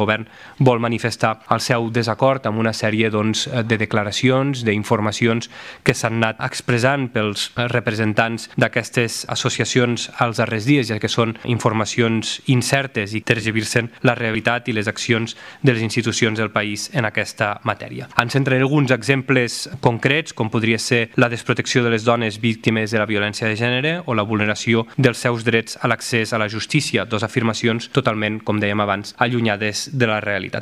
govern vol manifestar el seu desacord amb una sèrie de declaracions, d'informacions que s'han anat expressant pels representants d'aquestes associacions als darrers dies, ja que són informacions incertes i tergiversen la realitat i les accions de les institucions del país en aquesta matèria. Ens centraré alguns exemples concrets, com podria ser la desprotecció de les dones víctimes de la violència de gènere o la vulneració dels seus drets a l'accés a la justícia, dues afirmacions totalment, com dèiem abans, allunyades de la realitat.